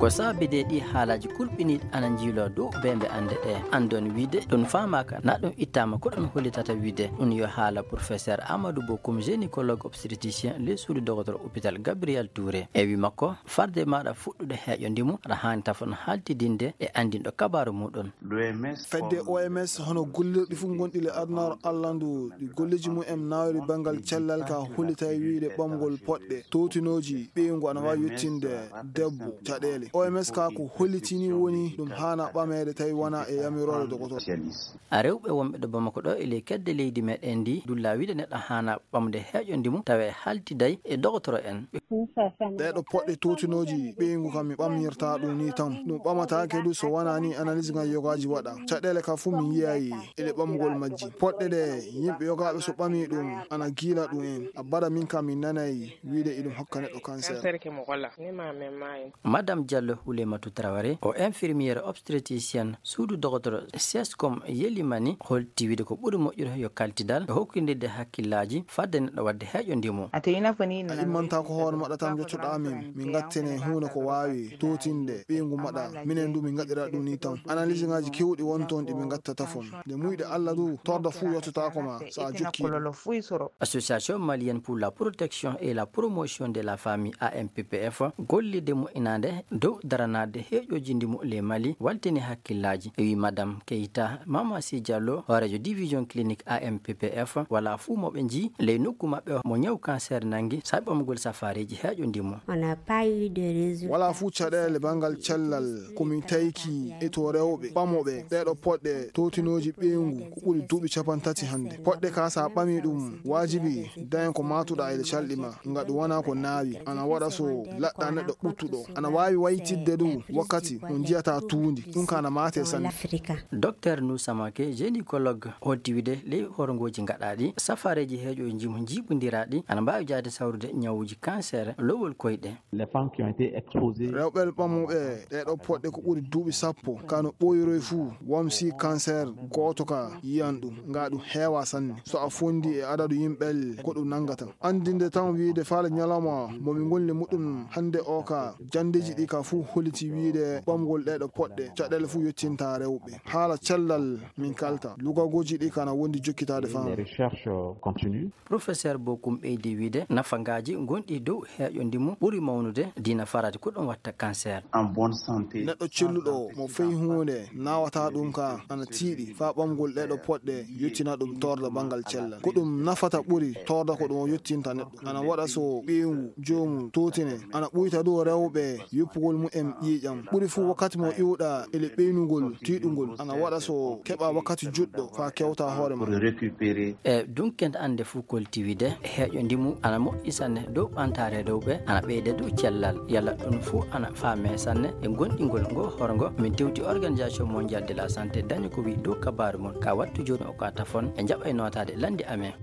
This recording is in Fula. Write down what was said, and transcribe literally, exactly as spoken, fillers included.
Ko sababi de ɗi haalaaji kulɓiniiɗi ana njiiloo dow beembe annde ɗe. Anndon wiide ɗum faamaaka, na ɗum ittaama ko ɗum hollitata wiide. Ɗum yo haala professeur Amadou Bokoum, gynécologue obstétricien, ley suudu dogotoro hôpital Gabriel Touré. E wi makko, farde maɗa fuɗɗude heeƴo ndimu, aɗa haani tafon haltidinde e anndinɗo kabaaru muɗum. Fedde O M S hono gollirɗi fof gonɗi le adunaaru Allah ndu, ɗi golleeji mum en nawri banngal cellal ka hollitay wiide ɓamgol poɗɗe towtinooji ɓeyngu ana waawi yettinde debbo caɗeele. O M S ka ko hollitini woni ɗum haana ɓameede tawi wona e yamiroore dogotoro. A rewɓe wonɓe ɗo Bamako ɗo e ley kedde leydi meɗen ndi dulla wiide neɗɗo haana ɓamde heeƴo ndimu tawe haltiday e dogotoro en. Ɗeɗo poɗɗe towtinooji ɓeyngu kam mi ɓamnirta ɗum ni tan. Ɗum ɓamataake du so wona ni analyse ngal yogaaji waɗa. Caɗeele ka fof mi yiyayi e ɗe ɓamgol majji. Poɗɗe ɗe yimɓe yogaaɓe so ɓami ɗum ana giila ɗum en. A bara min kam mi nanay wiide iɗum hokka neɗɗo cancer. Madame Diallo Houlématou Traoré, o infirmière obstétricienne suudu dogotoro Sescom Yelimani, holti wiide ko ɓuri moƴƴude yo kaltidal e hokkindirde hakkillaaji fadde neɗɗo waɗde heeƴo ndimu. A immanta ko hoore maɗa tan jottoɗa min, min gattene huunde ko waawi towtinde ɓeyngu maɗa. Minen du min gaɗira ɗum ni tan. Analyse ngaji kewɗi won toon ɗi min gattata fof. Nde muyɗe Allah du, torda fuu yottotaako ma so a jokki. Association malienne pour la protection et la promotion de la famille, A M P P F, gollirde moƴƴinaande dow daranaade heeƴooji ndimu ley Mali waltini hakkillaaji. E wi Madame Keita Mamasi Diallo, hooreejo division clinique A M P P F, wala fuu mo ɓe njii ley nokku maɓɓe mo ñaw cancer nangi sabi ɓamgol safaareeji heeƴo ndimu. On n'a pas eu de résultat. Wala fuu caɗeele banngal cellal ko min tayki e to rewɓe ɓamoɓe ɗeɗo poɗɗe towtinooji ɓeyngu ko ɓuri duuɓi capanɗe tati hannde. Poɗɗe ka sa ɓami ɗum, waajibi daña ko matuɗa e calɗi ma, nga ɗum wona ko naawi. Ana waɗa so laɗɗa neɗɗo ɓuttuɗo. Ana waawi waytidde ɗum wakkati mo njiyata tuundi. Ɗum ka ana mate sanne. Docteur Nousamake, gynécologue, holti wiide ley horngooji gaɗaaɗi, safaareeji heeƴo ndimu njiiɓondiraaɗi ana mbaawi jaade sawrude ñawuuji cancer lowol koyɗe. Les femmes qui ont été exposées. Rewɓe ɓamuɓe ɗeɗo poɗɗe ko ɓuri duuɓi sappo, ka no ɓooyiroy fuu, wamsi cancer gooto ka yiyan ɗum, nga ɗum heewa sanne. So a fondi e adadu yimɓe ko ɗum nanngata. Anndinde tan wiide faale ñalawma mo min ngoni muɗum hannde o ka, janndeeji ɗi ka fuu holliti wiide ɓamgol ɗeɗo poɗɗe, caɗeele fuu yottinta rewɓe. Haala cellal min kalta, lugagooji ɗi kana wondi jokkitaade faamu. Les recherches, euh, continuent. Professeur Bokoum ɓeydi wiide, nafagaaji gonɗi dow heeƴo ndimu ɓuri mawnude, dina farati ko ɗum watta cancer. En bonne santé. Neɗɗo celluɗo mo fey huunde nawata ɗum ka ana tiiɗi faa ɓamgol ɗeɗo poɗɗe yottina ɗum torda banngal cellal. Ko ɗum nafata ɓuri torda ko ɗum o yottinta neɗɗo. Ana waɗa so ɓeyngu joomum towtine, ana ɓuyta dow rewɓe yoppugol mumen ƴiiƴam. Ɓuri fuu wakkati mo iwɗa ele ɓeynugol tiiɗungol, ana waɗa so keɓa wakkati juɗɗo faa kewta hoore ma. Pour récupérer. E dunken annde fuu kolti wiide, heeƴo ndimu ana moƴƴi sanne dow ɓantaare rewɓe, ana ɓeyda dow cellal. Yalla ɗum fuu ana faame sanne e gonɗingol ngo horngo. Min tewti Organisation Mondiale de la Santé dañi ko wi dow kabaaru mum. Ka wattu jooni o ka tafon e njaɓa e nootaade landi amen.